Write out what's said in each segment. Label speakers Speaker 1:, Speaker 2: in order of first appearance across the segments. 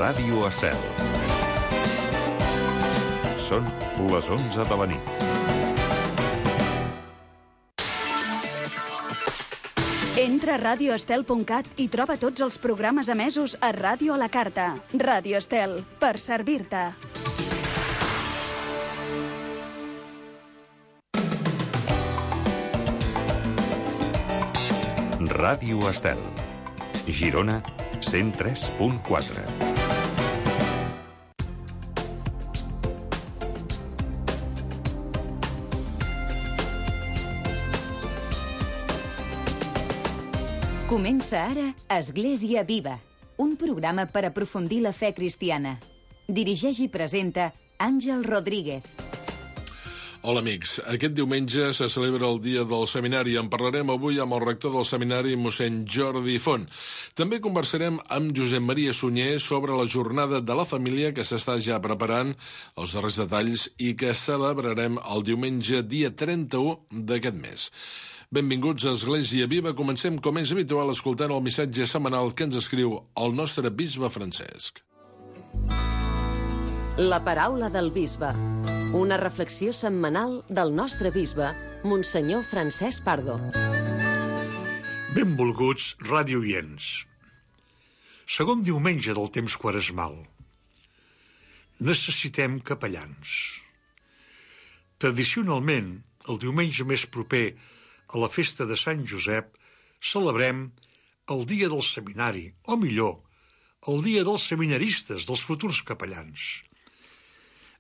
Speaker 1: Ràdio Estel. Són les 11 de la nit.
Speaker 2: Entra a radioestel.cat i troba tots els programes emesos a Ràdio a la Carta. Ràdio Estel, per servir-te.
Speaker 1: Ràdio Estel. Girona, 103.4.
Speaker 3: Comença ara Església Viva, un programa per aprofundir la fe cristiana. Dirigeix i presenta Àngel Rodríguez.
Speaker 4: Hola amics, aquest diumenge se celebra el dia del seminari. En parlarem avui amb el rector del seminari, mossèn Jordi Font. També conversarem amb Josep Maria Sunyer sobre la jornada de la família que s'està ja preparant, els darrers detalls, i que celebrarem el diumenge dia 31 d'aquest mes. Benvinguts a Església Viva. Comencem, com és habitual, escoltant el missatge setmanal que ens escriu el nostre bisbe Francesc.
Speaker 5: La paraula del bisbe. Una reflexió setmanal del nostre bisbe, Monsenyor Francesc Pardo.
Speaker 6: Benvolguts radiooients. Segon diumenge del temps quaresmal. Necessitem capellans. Tradicionalment, el diumenge més proper a la festa de Sant Josep, celebrem el dia del seminari, o millor, el dia dels seminaristes, dels futurs capellans.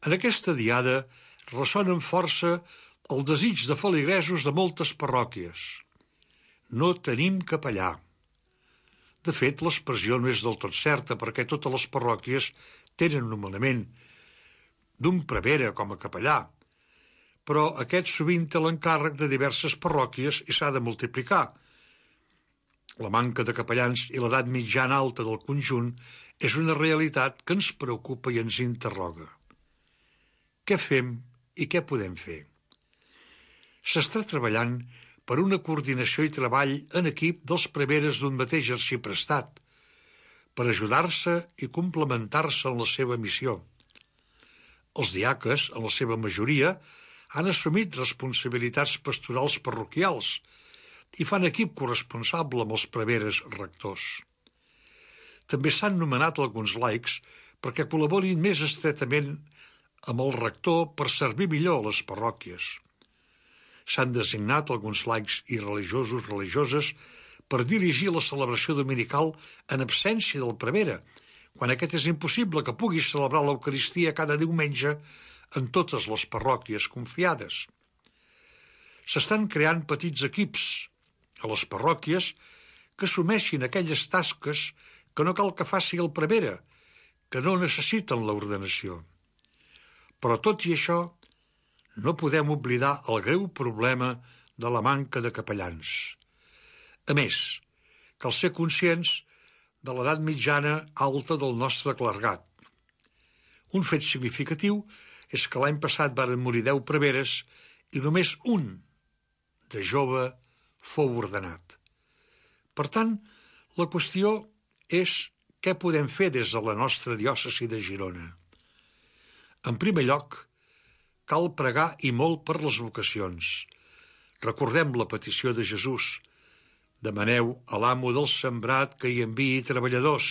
Speaker 6: En aquesta diada ressona amb força el desig de feligresos de moltes parròquies. No tenim capellà. De fet, l'expressió no és del tot certa, perquè totes les parròquies tenen nomenament d'un prevere com a capellà, però aquest sovint té l'encàrrec de diverses parròquies i s'ha de multiplicar. La manca de capellans i l'edat mitjana alta del conjunt és una realitat que ens preocupa i ens interroga. Què fem i què podem fer? S'està treballant per una coordinació i treball en equip dels preveres d'un mateix arxiprestat, per ajudar-se i complementar-se en la seva missió. Els diaques, en la seva majoria, han assumit responsabilitats pastorals parroquials i fan equip corresponsable amb els preveres rectors. També s'han nomenat alguns laics perquè col·laborin més estretament amb el rector per servir millor a les parròquies. S'han designat alguns laics i religiosos, religioses, per dirigir la celebració dominical en absència del prevere, quan aquest és impossible que pugui celebrar l'Eucaristia cada diumenge en totes les parròquies confiades. S'estan creant petits equips a les parròquies que assumeixin aquelles tasques que no cal que faci el prevere, que no necessiten l'ordenació. Però tot i això, no podem oblidar el greu problema de la manca de capellans. A més, cal ser conscients de l'edat mitjana alta del nostre clergat. Un fet significatiu és que l'any passat varen morir 10 preveres i només un de jove fou ordenat. Per tant, la qüestió és què podem fer des de la nostra diòcesi de Girona. En primer lloc, cal pregar i molt per les vocacions. Recordem la petició de Jesús. Demaneu a l'amo del sembrat que hi enviï treballadors.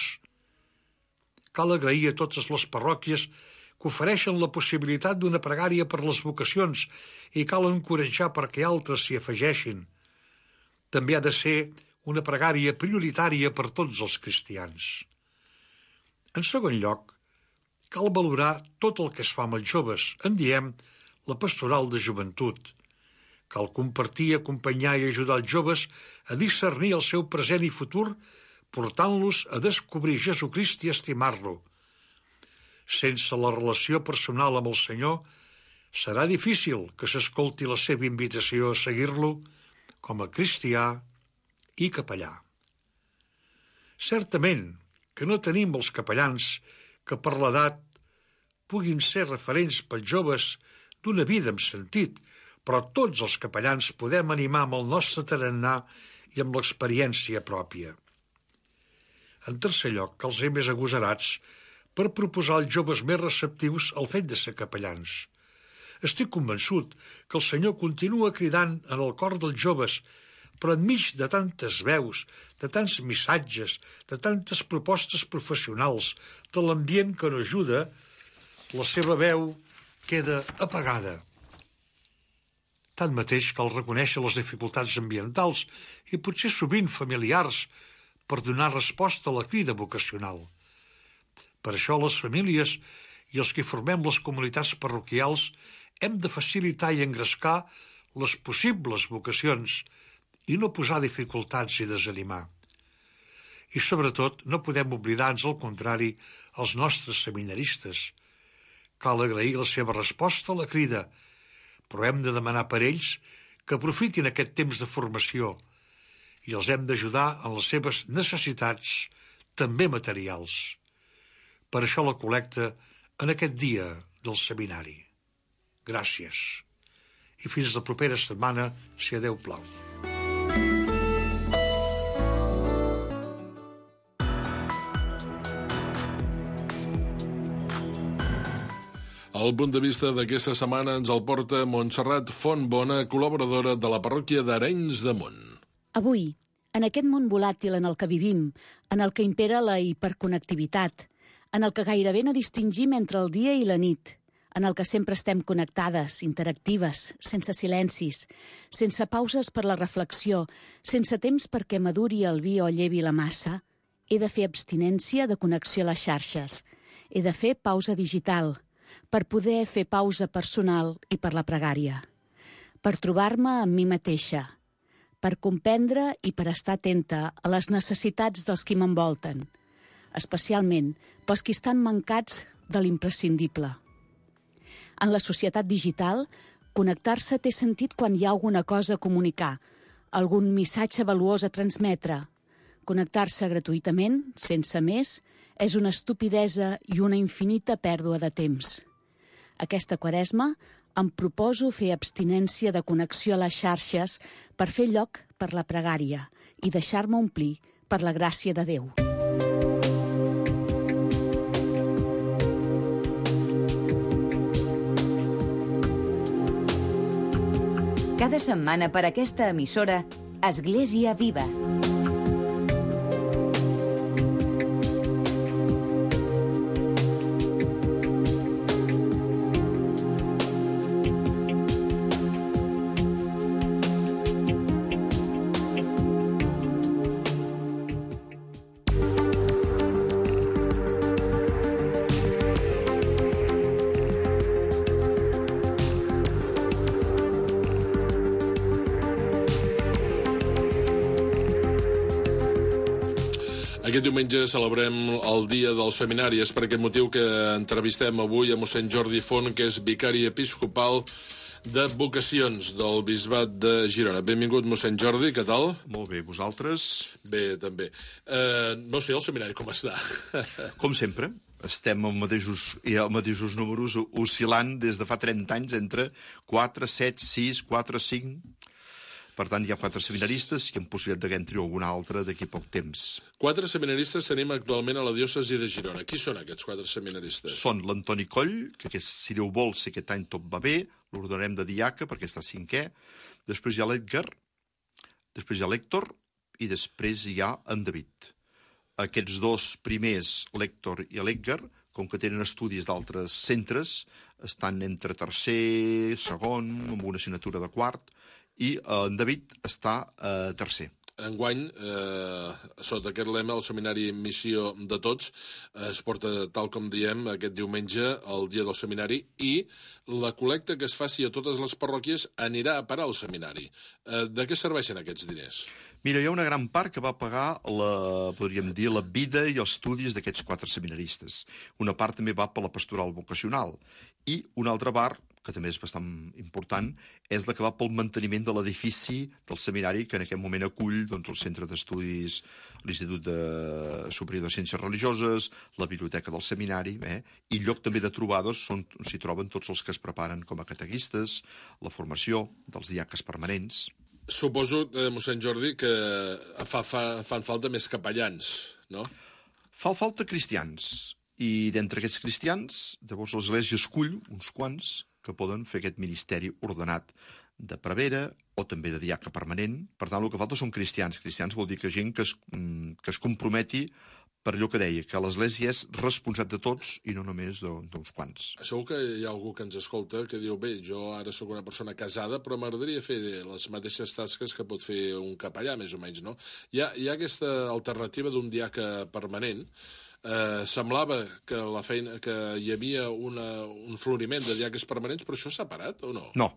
Speaker 6: Cal agrair a totes les parròquies que ofereixen la possibilitat d'una pregària per les vocacions i cal encoratjar perquè altres s'hi afegeixin. També ha de ser una pregària prioritària per tots els cristians. En segon lloc, cal valorar tot el que es fa amb els joves. En diem la pastoral de joventut. Cal compartir, acompanyar i ajudar els joves a discernir el seu present i futur, portant-los a descobrir Jesucrist i estimar-lo. Sense la relació personal amb el Senyor, serà difícil que s'escolti la seva invitació a seguir-lo com a cristià i capellà. Certament que no tenim els capellans que per l'edat puguin ser referents pels joves d'una vida amb sentit, però tots els capellans podem animar amb el nostre tarannà i amb l'experiència pròpia. En tercer lloc, cal ser més agosarats per proposar als joves més receptius el fet de ser capellans. Estic convençut que el Senyor continua cridant en el cor dels joves, però enmig de tantes veus, de tants missatges, de tantes propostes professionals, de l'ambient que no ajuda, la seva veu queda apagada. Tanmateix, cal reconèixer les dificultats ambientals i potser sovint familiars per donar resposta a la crida vocacional. Per això les famílies i els que formem les comunitats parroquials hem de facilitar i engrescar les possibles vocacions i no posar dificultats i desanimar. I sobretot no podem oblidar, ans al contrari, els nostres seminaristes. Cal agrair la seva resposta a la crida, però hem de demanar per ells que aprofitin aquest temps de formació i els hem d'ajudar en les seves necessitats, també materials. Per això la col·lecta en aquest dia del seminari. Gràcies. I fins la propera setmana, si a Déu plau.
Speaker 4: El punt de vista d'aquesta setmana ens el porta Montserrat Fontbona, col·laboradora de la parròquia d'Arenys de Munt.
Speaker 7: Avui, en aquest món volàtil en el que vivim, en el que impera la hiperconnectivitat, en el que gairebé no distingim entre el dia i la nit, en el que sempre estem connectades, interactives, sense silencis, sense pauses per la reflexió, sense temps perquè maduri el vi o llevi la massa, he de fer abstinència de connexió a les xarxes. He de fer pausa digital, per poder fer pausa personal i per la pregària. Per trobar-me amb mi mateixa, per comprendre i per estar atenta a les necessitats dels qui m'envolten, especialment pels qui estan mancats de l'imprescindible. En la societat digital, connectar-se té sentit quan hi ha alguna cosa a comunicar, algun missatge valuós a transmetre. Connectar-se gratuïtament, sense més, és una estupidesa i una infinita pèrdua de temps. Aquesta Quaresma em proposo fer abstinència de connexió a les xarxes per fer lloc per la pregària i deixar-me omplir per la gràcia de Déu.
Speaker 3: Cada setmana per aquesta emissora, Església Viva.
Speaker 4: Aquest diumenge celebrem el Dia del Seminari. És per aquest motiu que entrevistem avui a mossèn Jordi Font, que és vicari episcopal de vocacions del Bisbat de Girona. Benvingut, mossèn Jordi, què tal?
Speaker 8: Molt bé, vosaltres?
Speaker 4: Bé, també. No sé, el seminari com està?
Speaker 8: Com sempre, estem als mateixos números oscil·lant des de fa 30 anys entre 4, 7, 6, 4, 5... Per tant, hi ha 4 seminaristes i amb possibilitat que entri algun altre d'aquí a poc temps.
Speaker 4: 4 seminaristes tenim actualment a la diòcesi de Girona. Qui són aquests 4 seminaristes?
Speaker 8: Són l'Antoni Coll, que si Déu vol, si aquest any tot va bé, l'ordenarem de diaca perquè està 5è. Després hi ha l'Edgar, després hi ha l'Héctor i després hi ha en David. Aquests 2 primers, l'Héctor i l'Edgar, com que tenen estudis d'altres centres, estan entre tercer, segon, amb una assignatura de quart, i en David està tercer.
Speaker 4: Enguany, sota aquest lema, el Seminari Missió de Tots es porta, tal com diem, aquest diumenge, el dia del seminari, i la col·lecta que es faci a totes les parròquies anirà a parar al seminari. De què serveixen aquests diners?
Speaker 8: Mira, hi ha una gran part que va pagar podríem dir, la vida i els estudis d'aquests 4 seminaristes. Una part també va per la pastoral vocacional. I una altra part, que també és bastant important, és la que va pel manteniment de l'edifici del seminari, que en aquest moment acull el centre d'estudis, l'Institut Superior de Ciències Religioses, la biblioteca del seminari, i lloc també de trobades on s'hi troben tots els que es preparen com a catequistes, la formació dels diaques permanents.
Speaker 4: Suposo, mossèn Jordi, que fan falta més capellans, no?
Speaker 8: Fa falta cristians. I d'entre aquests cristians, llavors l'Església escull uns quants que poden fer aquest ministeri ordenat de prevera o també de diaca permanent. Per tant, el que falta són cristians. Cristians vol dir que gent que es comprometi per allò que deia, que l'Església és responsable de tots i no només d'uns quants.
Speaker 4: Segur que hi ha algú que ens escolta que diu, bé, jo ara sóc una persona casada, però m'agradaria fer les mateixes tasques que pot fer un capellà, més o menys, no? Hi ha aquesta alternativa d'un diaca permanent. Semblava que la feina que hi havia un floriment de diaques permanents, però això s'ha parat o no?
Speaker 8: No.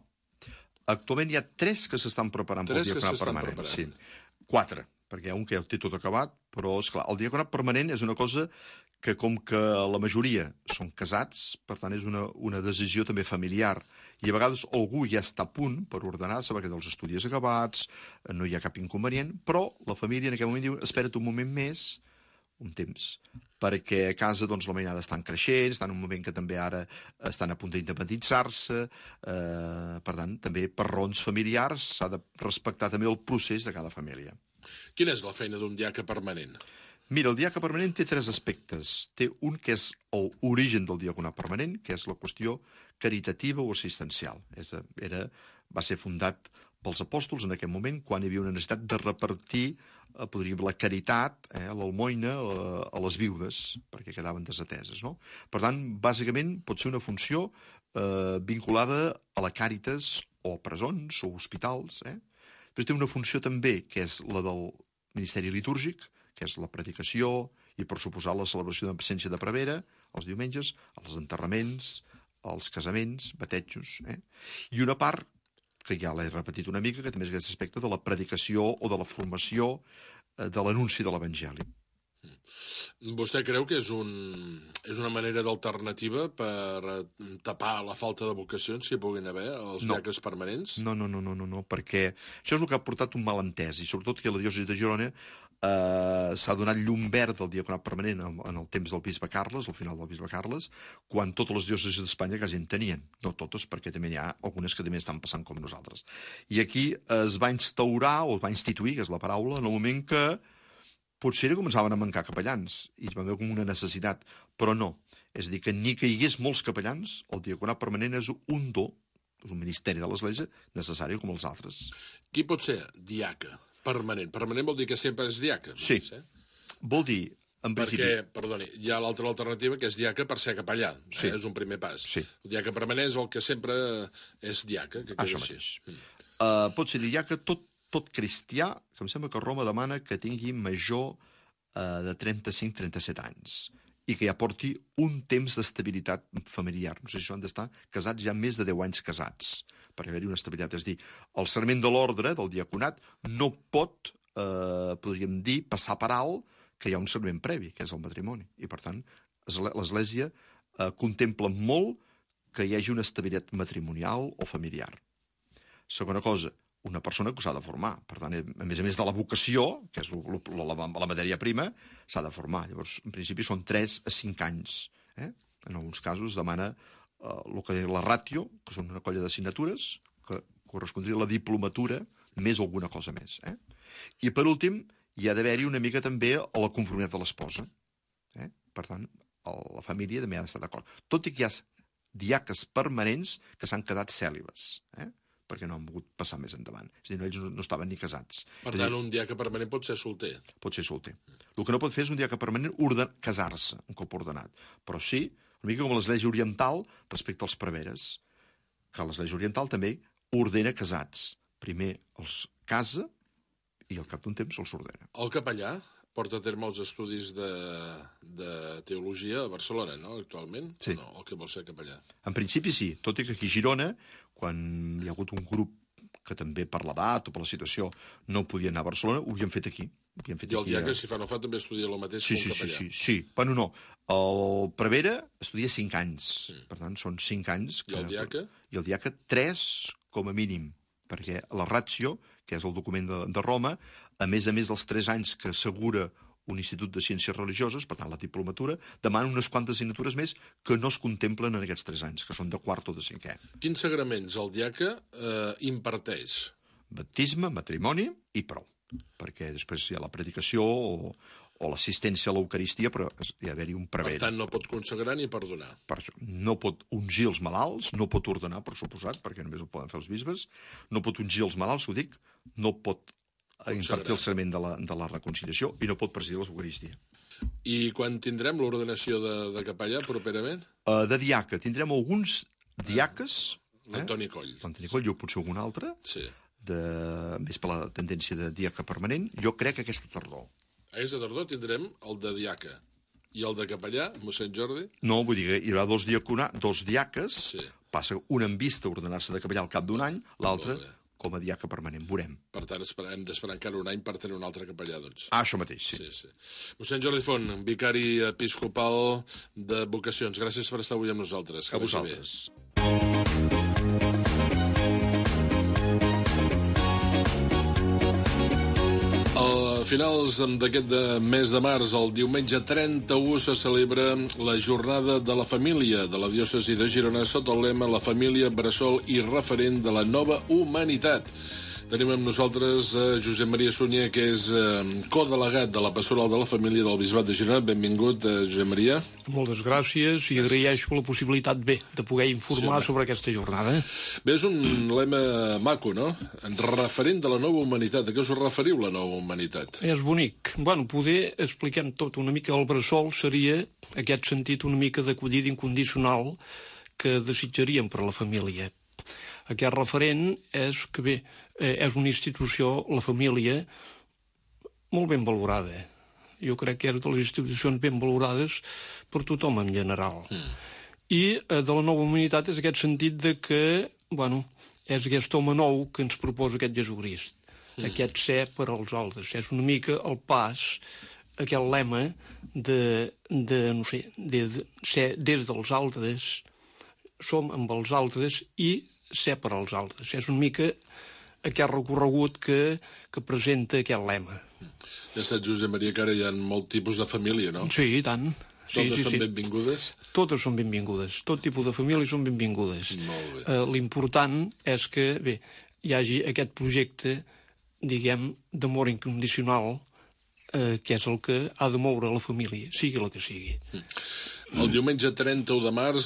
Speaker 8: Actualment hi ha 3 que s'estan preparant pel diaconat permanent. Sí. 4, perquè hi ha un que ja ho té tot acabat, però, esclar, el diaconat permanent és una cosa que, com que la majoria són casats, per tant, és una decisió també familiar. I a vegades algú ja està a punt per ordenar-se, perquè dels estudis acabats, no hi ha cap inconvenient, però la família en aquell moment diu, espera't un moment més, un temps, perquè a casa doncs, la mainada estan creixent, estan en un moment que també ara estan a punt d'independitzar-se, per tant, també per raons familiars s'ha de respectar també el procés de cada família.
Speaker 4: Quina és la feina d'un diaca permanent?
Speaker 8: Mira, el diaca permanent té 3 aspectes. Té un que és l'origen del diaconat permanent, que és la qüestió caritativa o assistencial. Va ser fundat pels apòstols en aquell moment, quan hi havia una necessitat de repartir podríem dir, la caritat, l'almoina, a les viudes, perquè quedaven desateses. No? Per tant, bàsicament, pot ser una funció vinculada a la Càritas o a presons o hospitals. Després té una funció també, que és la del Ministeri Litúrgic, que és la predicació i, per suposar, la celebració de presència de prevera, els diumenges, els enterraments, els casaments, batejos. I una part que ja l'he repetit una mica, que també és aquest aspecte de la predicació o de la formació de l'anunci de l'Evangeli.
Speaker 4: Vostè creu que és una manera d'alternativa per tapar la falta de vocacions que hi puguin haver als diaques permanents?
Speaker 8: No, perquè això és el que ha portat un malentès, i sobretot que la diòcesi de Girona s'ha donat llum verd del diaconat permanent en el temps del bisbe Carles, al final del bisbe Carles, quan totes les diòcesis d'Espanya quasi en tenien. No totes, perquè també hi ha algunes que també estan passant com nosaltres. I aquí es va instaurar, o es va instituir, que és la paraula, en el moment que potser començaven a mancar capellans, i es va veure com una necessitat, però no. És a dir, que ni que hi hagués molts capellans, el diaconat permanent és un do, és un ministeri de l'Església necessari com els altres.
Speaker 4: Qui pot ser diaca permanent? Permanent vol dir que sempre és diaca.
Speaker 8: Sí. Vol dir, en principi...
Speaker 4: Perquè, perdoni, hi ha l'altra alternativa que és diaca per ser capellà.
Speaker 8: Sí.
Speaker 4: És un primer pas.
Speaker 8: Sí.
Speaker 4: El diaca permanent és el que sempre és diaca. Que
Speaker 8: això mateix. Pot ser diaca tot cristià, que em sembla que Roma demana que tingui major de 35-37 anys i que ja porti un temps d'estabilitat familiar. No sé si han d'estar casats ja més de 10 anys casats, per haver-hi una estabilitat. És a dir, el serment de l'ordre del diaconat no pot, podríem dir, passar per alt que hi ha un serment previ, que és el matrimoni. I, per tant, l'Església contempla molt que hi hagi una estabilitat matrimonial o familiar. Segona cosa, una persona que s'ha de formar. Per tant, a més de la vocació, que és la matèria prima, s'ha de formar. Llavors, en principi, són 3 a 5 anys. En alguns casos demana el que diu la ràtio, que són una colla d'assignatures, que correspondria a la diplomatura, més alguna cosa més. I, per últim, hi ha d'haver-hi una mica també a la conformitat de l'esposa. Per tant, la família també ha d'estar d'acord. Tot i que hi ha diaques permanents que s'han quedat cèlibes, perquè no han volgut passar més endavant. És a dir, ells no estaven ni casats.
Speaker 4: Per tant, un diaca permanent pot ser solter.
Speaker 8: Pot ser solter. El que no pot fer és un diaca permanent casar-se, un cop ordenat. Però sí, una mica com l'Església Oriental respecte als preveres, que l'Església Oriental també ordena casats. Primer els casa i al cap d'un temps els ordena.
Speaker 4: El capellà porta a terme els estudis de teologia a Barcelona, no?, actualment?
Speaker 8: Sí.
Speaker 4: No, el que vol ser capellà.
Speaker 8: En principi sí, tot i que aquí a Girona, quan hi ha hagut un grup que també per l'edat o per la situació no podia anar a Barcelona, ho havíem fet aquí.
Speaker 4: I el diaca, si fa no fa, també estudia el mateix que un capellà.
Speaker 8: Sí. Bueno, no. El prevere estudia 5 anys. Per tant, són 5 anys.
Speaker 4: I el diaca?
Speaker 8: I el diaca 3 com a mínim, perquè la ratio, que és el document de Roma, a més dels 3 anys que assegura un institut de ciències religioses, per tant la diplomatura, demana unes quantes assignatures més que no es contemplen en aquests 3 anys, que són de quart o de 5è.
Speaker 4: Quins sagraments el diaca imparteix?
Speaker 8: Baptisme, matrimoni i prou, perquè després hi ha la predicació o o l'assistència a l'Eucaristia, però hi ha d'haver-hi un prevent.
Speaker 4: Per tant, no pot consagrar ni perdonar.
Speaker 8: Per això, no pot ungir els malalts, no pot ordenar, per suposat, perquè només ho poden fer els bisbes, no pot ungir els malalts, ho dic, no pot impartir el serment de la reconciliació i no pot presidir l'Eucaristia.
Speaker 4: I quan tindrem l'ordenació de capellà, properament?
Speaker 8: De diaca, tindrem alguns diaques...
Speaker 4: L'Antoni Coll.
Speaker 8: L'Antoni Coll, jo potser algun altre, més per la tendència de diaca permanent, jo crec que aquesta tardor.
Speaker 4: Aquesta tardor tindrem el de diaca. I el de capellà, mossèn Jordi?
Speaker 8: No, vull dir que hi haurà dos diaques, passa un en vista a ordenar-se de capellà al cap d'un any, l'altre com a diaca permanent, veurem.
Speaker 4: Per tant, hem d'esperar encara un any per tenir un altre capellà, doncs.
Speaker 8: Això mateix, sí.
Speaker 4: Mossèn Jordi Font, vicari episcopal de vocacions, gràcies per estar avui amb nosaltres.
Speaker 8: A vosaltres.
Speaker 4: A finals d'aquest mes de març, el diumenge 31, se celebra la Jornada de la Família de la diòcesi de Girona sota el lema La família, bressol i referent de la nova humanitat. Tenim amb nosaltres Josep Maria Sunyer, que és codelegat de la Pastoral de la Família del Bisbat de Girona. Benvingut, Josep Maria.
Speaker 9: Moltes gràcies i agraeixo la possibilitat, de poder informar sobre aquesta jornada.
Speaker 4: Bé, és un lema maco, no? Referent de la nova humanitat. A què us referiu, la nova humanitat?
Speaker 9: És bonic. Poder expliquem tot. Una mica el bressol seria aquest sentit una mica d'acollida incondicional que desitjaríem per a la família. Aquest referent és que, és una institució, la família, molt ben valorada. Jo crec que és de les institucions ben valorades per tothom en general. I de la nova humanitat és aquest sentit de que, és aquest home nou que ens proposa aquest Jesucrist. Aquest ser per als altres. És una mica el pas, aquest lema de ser des dels altres, som amb els altres i ser per als altres. És una mica aquest recorregut que presenta aquest lema.
Speaker 4: Ja està, Josep Maria, que ara hi ha molt tipus de família, no?
Speaker 9: Sí, i tant.
Speaker 4: Totes són benvingudes?
Speaker 9: Totes són benvingudes. Tot tipus de famílies són benvingudes.
Speaker 4: Molt bé.
Speaker 9: L'important és que, hi hagi aquest projecte, d'amor incondicional, que és el que ha de moure la família, sigui la que sigui.
Speaker 4: El diumenge 31 de març,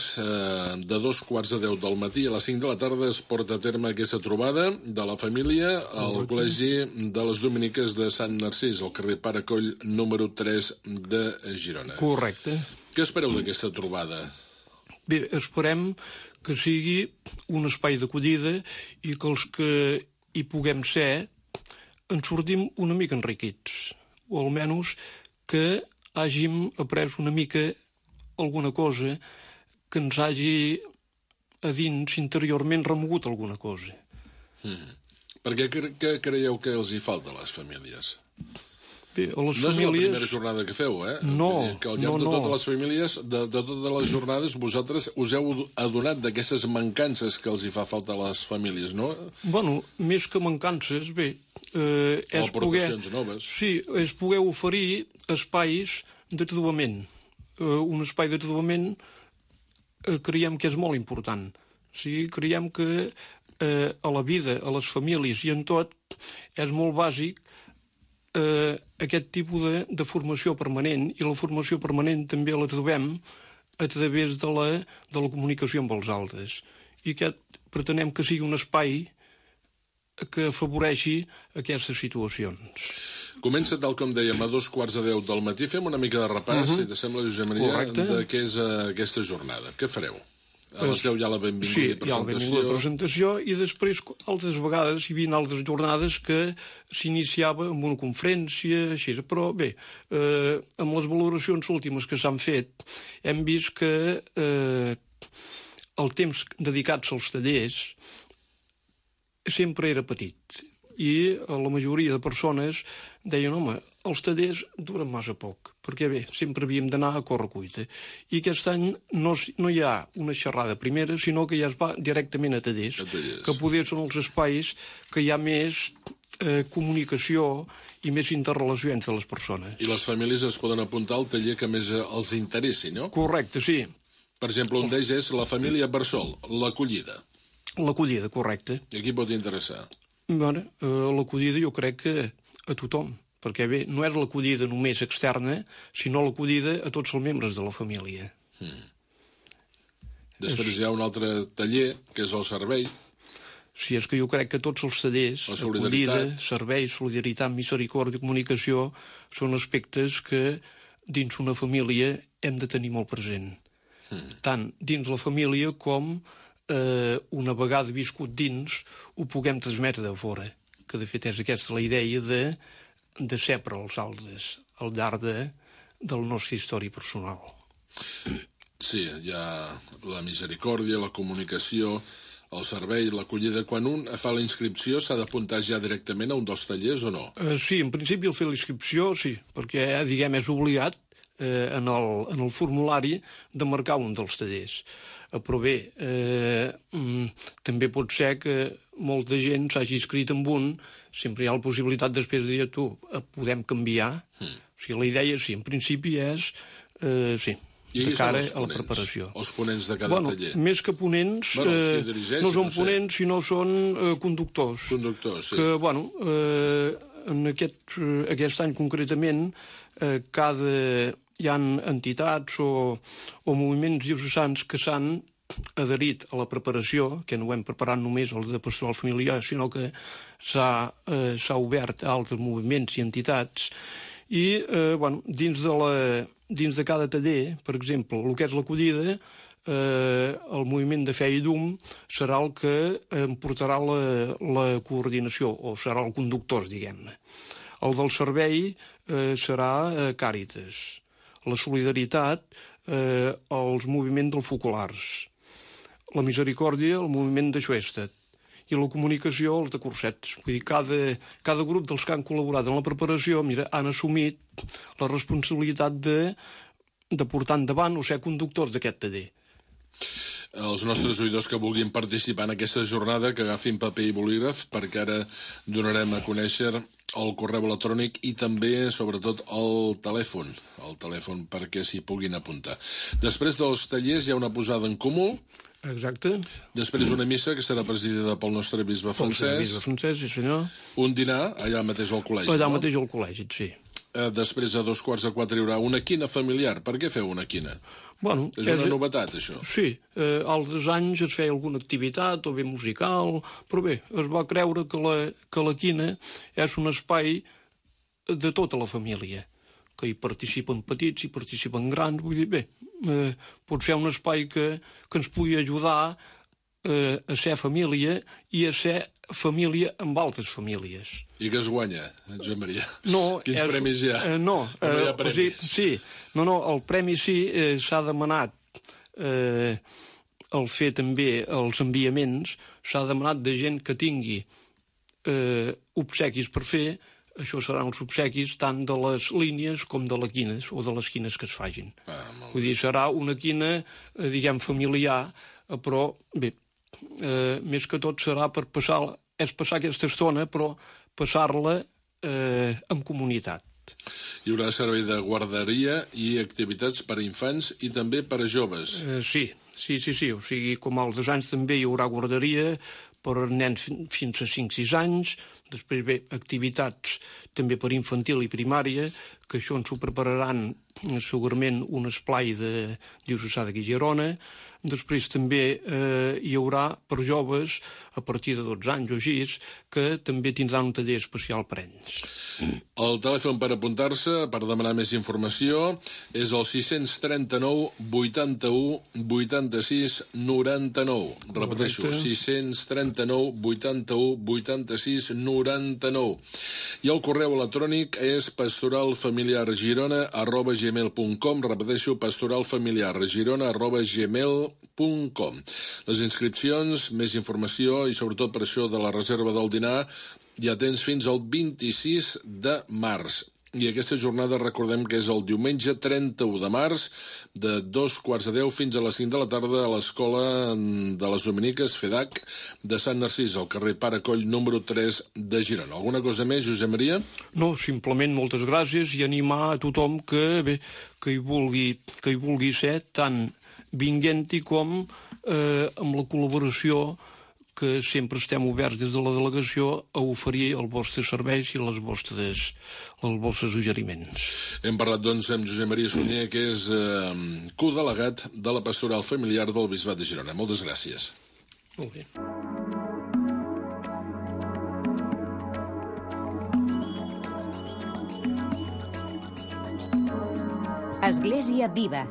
Speaker 4: de 2:15 del matí a les 5 de la tarda, es porta a terme aquesta trobada de la família al Col·legi de les Dominiques de Sant Narcís, al carrer Pare Coll, número 3 de Girona.
Speaker 9: Correcte.
Speaker 4: Què espereu d'aquesta trobada?
Speaker 9: Bé, esperem que sigui un espai d'acollida i que els que hi puguem ser en sortim una mica enriquits, o almenys que hàgim après una mica alguna cosa que ens hagi a dins interiorment remogut alguna cosa.
Speaker 4: Per què creieu que els hi falta a les famílies?
Speaker 9: Bé, a les
Speaker 4: no
Speaker 9: famílies...
Speaker 4: és la primera jornada que feu,
Speaker 9: No,
Speaker 4: que al llarg de totes les famílies, de totes les jornades, vosaltres us heu adonat d'aquestes mancances que els hi fa falta a les famílies, no?
Speaker 9: Més que mancances, és
Speaker 4: aportacions noves.
Speaker 9: Sí, és poder oferir espais de trobament. Un espai de trobament creiem que és molt important. Creiem que a la vida, a les famílies i en tot, és molt bàsic aquest tipus de formació permanent, i la formació permanent també la trobem a través de la comunicació amb els altres. I pretenem que sigui un espai que afavoreixi aquestes situacions.
Speaker 4: Comença, tal com dèiem, a 2:15 del matí. Fem una mica de repàs, si t'assembla, Josep Maria, de què és aquesta jornada. Què fareu? A les 10 hi ha la benvinguda i presentació.
Speaker 9: Sí, hi ha la benvinguda i presentació, i després, altres vegades, hi havia altres jornades que s'iniciava amb una conferència, així. Però bé, amb les valoracions últimes que s'han fet, hem vist que el temps dedicats als tallers sempre era petit. I la majoria de persones deien, els tallers duren massa poc, perquè sempre havíem d'anar a correcuita. I aquest any no hi ha una xerrada primera, sinó que ja es va directament a tallers, que poder són els espais que hi ha més comunicació i més interrelació entre les persones.
Speaker 4: I les famílies es poden apuntar al taller que més els interessi, no?
Speaker 9: Correcte, sí.
Speaker 4: Per exemple, un d'ells és la família Bressol, l'acollida.
Speaker 9: L'acollida, correcte.
Speaker 4: I a qui pot interessar?
Speaker 9: L'acollida jo crec que a tothom, perquè bé, no és l'acollida només externa, sinó l'acollida a tots els membres de la família.
Speaker 4: Després hi ha un altre taller, que és el servei.
Speaker 9: Sí, és que jo crec que tots els tallers, acollida, servei, solidaritat, misericòrdia, comunicació, són aspectes que dins una família hem de tenir molt present. Tant dins la família com una vegada viscut dins ho puguem transmetre de fora, que de fet és aquesta la idea de ser per als altres al llarg de la nostra història personal.
Speaker 4: Sí, hi ha la misericòrdia, la comunicació, el servei, l'acollida. Quan un fa la inscripció s'ha d'apuntar ja directament a un dels tallers o no?
Speaker 9: Sí, en principi al fer la inscripció sí, perquè diguem és obligat en el formulari de marcar un dels tallers. Però bé, també pot ser que molta gent s'hagi inscrit en un, sempre hi ha la possibilitat després de dir tu, podem canviar. O sigui, la idea, sí, en principi és, sí, de cara a la preparació.
Speaker 4: Els ponents de cada taller?
Speaker 9: Més que ponents, no són ponents, sinó són conductors.
Speaker 4: Conductors, sí.
Speaker 9: Que, en aquest any concretament, hi ha entitats o moviments diocesans que s'han adherit a la preparació, que no ho hem preparat només els de pastoral familiar, sinó que s'ha obert a altres moviments i entitats, i dins de cada taller, per exemple, el que és l'acollida, el moviment de Fe i Llum serà el que em portarà la coordinació, o serà el conductor, diguem-ne. El del servei serà Càritas. La solidaritat, els moviments dels focolars. La misericòrdia, el moviment de Xuestet. I la comunicació, els de Cursets. Vull dir, cada grup dels que han col·laborat en la preparació han assumit la responsabilitat de portar endavant o ser conductors d'aquest taller.
Speaker 4: Els nostres oïdors que vulguin participar en aquesta jornada, que agafin paper i bolígraf, perquè ara donarem a conèixer el correu electrònic i també, sobretot, el telèfon perquè s'hi puguin apuntar. Després dels tallers hi ha una posada en comú.
Speaker 9: Exacte.
Speaker 4: Després una missa que serà presidida pel nostre bisbe Francesc.
Speaker 9: Bisbe Francesc, sí senyor.
Speaker 4: Un dinar allà mateix al col·legi,
Speaker 9: allà mateix al col·legi, sí.
Speaker 4: Després, a 3:15 hi haurà una quina familiar. Per què feu una quina?
Speaker 9: Bueno,
Speaker 4: és una novetat, això.
Speaker 9: Sí, altres anys es feia alguna activitat, o bé musical, però bé, es va creure que la quina és un espai de tota la família, que hi participen petits, hi participen grans, vull dir, bé, pot ser un espai que ens pugui ajudar a ser família i a ser família amb altres famílies.
Speaker 4: I què es guanya, Josep Maria?
Speaker 9: No,
Speaker 4: quins premis hi ha?
Speaker 9: No,
Speaker 4: hi ha premis?
Speaker 9: Sí, el premi sí, s'ha demanat el fer també els enviaments, s'ha demanat de gent que tingui obsequis per fer. Això seran els obsequis tant de les línies com de les quines o de les quines que es facin. Vull dir, serà una quina, diguem, familiar, però bé, més que tot serà per passar aquesta estona, però passar-la en comunitat.
Speaker 4: Hi haurà servei de guarderia i activitats per a infants i també per a joves.
Speaker 9: Sí. O sigui, com altres anys també hi haurà guarderia per a nens fins a 5-6 anys, després bé, activitats també per infantil i primària, que això ens ho prepararan segurament un esplai de diocesà de Girona. Després també hi haurà per joves a partir de 12 anys o així, que també tindran un taller especial per ells.
Speaker 4: El telèfon per apuntar-se, per demanar més informació, és el 639 81 86 99. Repeteixo, 639 81 86 99. I el correu electrònic és pastoralfamiliargirona@gmail.com. Repeteixo, pastoralfamiliargirona@gmail.com. Les inscripcions, més informació i sobretot per això de la reserva del dinar ja tens fins al 26 de març. I aquesta jornada recordem que és el diumenge 31 de març de 2:15 fins a les 5 de la tarda a l'Escola de les Dominiques FEDAC de Sant Narcís, al carrer Pare Coll número 3 de Girona. Alguna cosa més, Josep Maria?
Speaker 9: No, simplement moltes gràcies i animar a tothom que hi vulgui ser tant vinguent-hi com amb la col·laboració que sempre estem oberts des de la delegació a oferir els vostres serveis i els vostres suggeriments.
Speaker 4: Hem parlat, doncs, amb Josep Maria Sunyer, que és codelegat de la Pastoral Familiar del Bisbat de Girona. Moltes gràcies.
Speaker 9: Molt bé.
Speaker 3: Església Viva.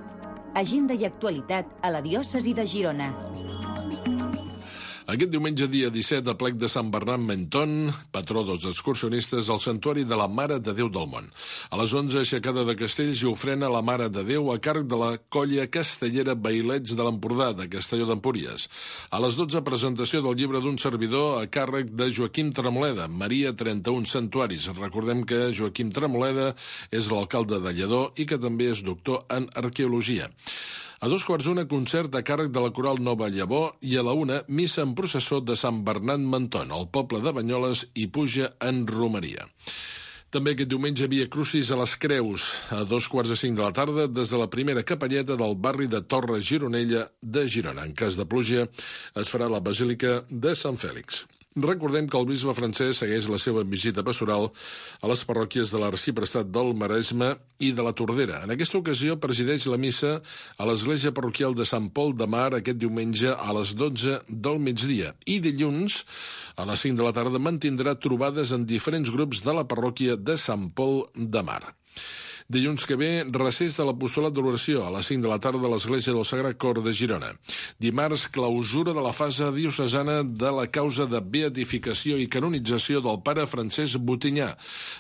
Speaker 3: Agenda i actualitat a la diòcesi de Girona.
Speaker 4: Aquest diumenge, dia 17, a plec de Sant Bernat Menton, patró dels excursionistes, al Santuari de la Mare de Déu del Món. A les 11, aixecada de castells i ofrena a la Mare de Déu a càrrec de la colla castellera Bailets de l'Empordà, de Castelló d'Empúries. A les 12, presentació del llibre d'un servidor a càrrec de Joaquim Tremoleda, Maria 31 Santuaris. Recordem que Joaquim Tremoleda és l'alcalde de Lledó i que també és doctor en arqueologia. A 2:15, concert a càrrec de la Coral Nova Llavor i a la 1, missa en processó de Sant Bernat Menton, al poble de Banyoles, i puja en romeria. També aquest diumenge Via Crucis a les Creus, a 2:45 de la tarda, des de la primera capelleta del barri de Torre Gironella de Girona. En cas de pluja, es farà la Basílica de Sant Fèlix. Recordem que el bisbe Francesc segueix la seva visita pastoral a les parròquies de l'Arxiprestat del Maresme i de la Tordera. En aquesta ocasió presideix la missa a l'església parroquial de Sant Pol de Mar aquest diumenge a les 12 del migdia i dilluns a les 5 de la tarda mantindrà trobades en diferents grups de la parròquia de Sant Pol de Mar. Dilluns que ve, recés de l'Apostolat de l'Oració a les 5 de la tarda a l'Església del Sagrat Cor de Girona. Dimarts, clausura de la fase diocesana de la causa de beatificació i canonització del pare Francesc Botinyà.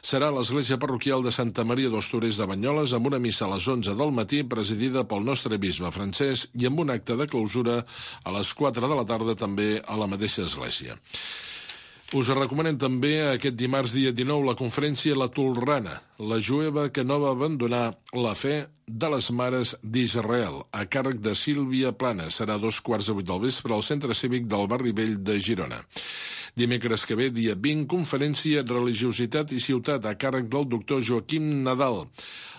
Speaker 4: Serà a l'Església Parroquial de Santa Maria dels Torers de Banyoles amb una missa a les 11 del matí presidida pel nostre bisbe Francesc i amb un acte de clausura a les 4 de la tarda també a la mateixa església. Us recomanem també aquest dimarts dia 19 la conferència La Tolrana, la jueva que no va abandonar la fe de les mares d'Israel, a càrrec de Sílvia Plana. Serà a 7:15 del vespre al Centre Cívic del Barri Vell de Girona. Dimecres que ve, dia 20, conferència Religiositat i Ciutat, a càrrec del doctor Joaquim Nadal,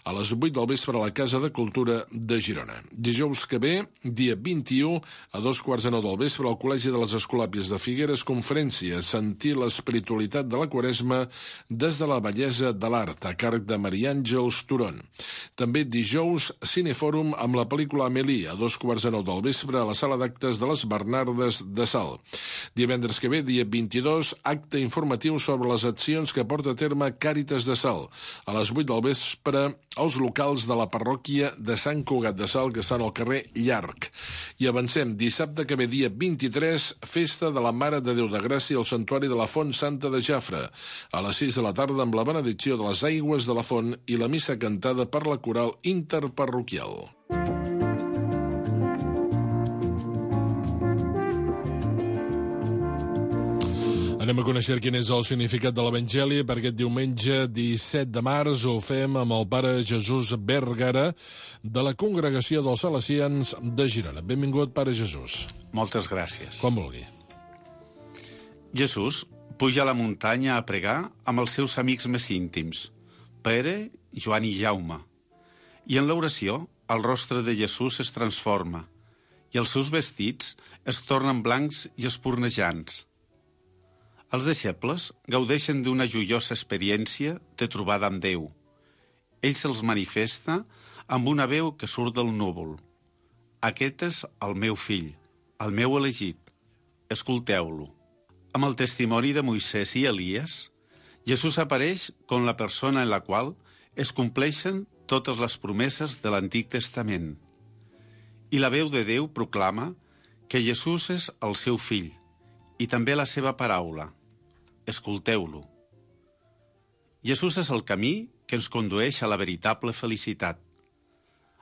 Speaker 4: a les 8 del vespre a la Casa de Cultura de Girona. Dijous que ve, dia 21, a 2:15 del vespre al Col·legi de les Escolàpies de Figueres, conferència Sentir l'espiritualitat de la Quaresma des de la bellesa de l'art, a càrrec de Maria Àngels Turon. També dijous, Cinefòrum amb la pel·lícula Amélie, a 2:15 del vespre a la sala d'actes de les Bernardes de Salt. Divendres que ve, dia 22, acte informatiu sobre les accions que porta a terme Càritas de Salt, a les 8 del vespre als locals de la parròquia de Sant Cugat de Salt, que estan al carrer Llarg. I avancem, dissabte que ve, dia 23, festa de la Mare de Déu de Gràcia al Santuari de la Font Santa de Jafre, a les 6 de la tarda amb la benedicció de les aigües de la font i la missa cantada per la coral interparroquial. Anem a conèixer quin és el significat de l'Evangeli per aquest diumenge 17 de març. Ho fem amb el pare Jesús Vergara, de la Congregació dels Salesians de Girona. Benvingut, pare Jesús.
Speaker 10: Moltes gràcies.
Speaker 4: Com vulgui.
Speaker 10: Jesús puja a la muntanya a pregar amb els seus amics més íntims, Pere, Joan i Jaume. I en l'oració, el rostre de Jesús es transforma i els seus vestits es tornen blancs i espurnejants. Els deixebles gaudeixen d'una joiosa experiència de trobada amb Déu. Ell se'ls manifesta amb una veu que surt del núvol. Aquest és el meu fill, el meu elegit. Escolteu-lo. Amb el testimoni de Moisès i Elies, Jesús apareix com la persona en la qual es compleixen totes les promeses de l'Antic Testament. I la veu de Déu proclama que Jesús és el seu fill i també la seva paraula. Escolteu-lo. Jesús és el camí que ens condueix a la veritable felicitat,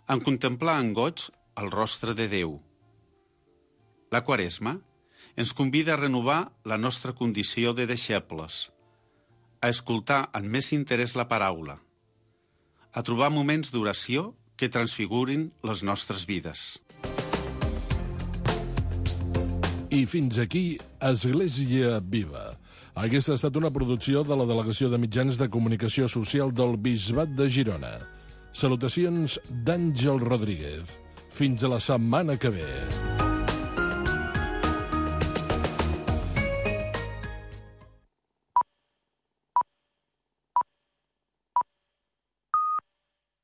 Speaker 10: en contemplar en goig el rostre de Déu. La Quaresma ens convida a renovar la nostra condició de deixebles, a escoltar amb més interès la paraula, a trobar moments d'oració que transfigurin les nostres vides.
Speaker 4: I fins aquí, Església Viva. Aquesta ha estat una producció de la Delegació de Mitjans de Comunicació Social del Bisbat de Girona. Salutacions d'Àngel Rodríguez. Fins a la setmana que ve.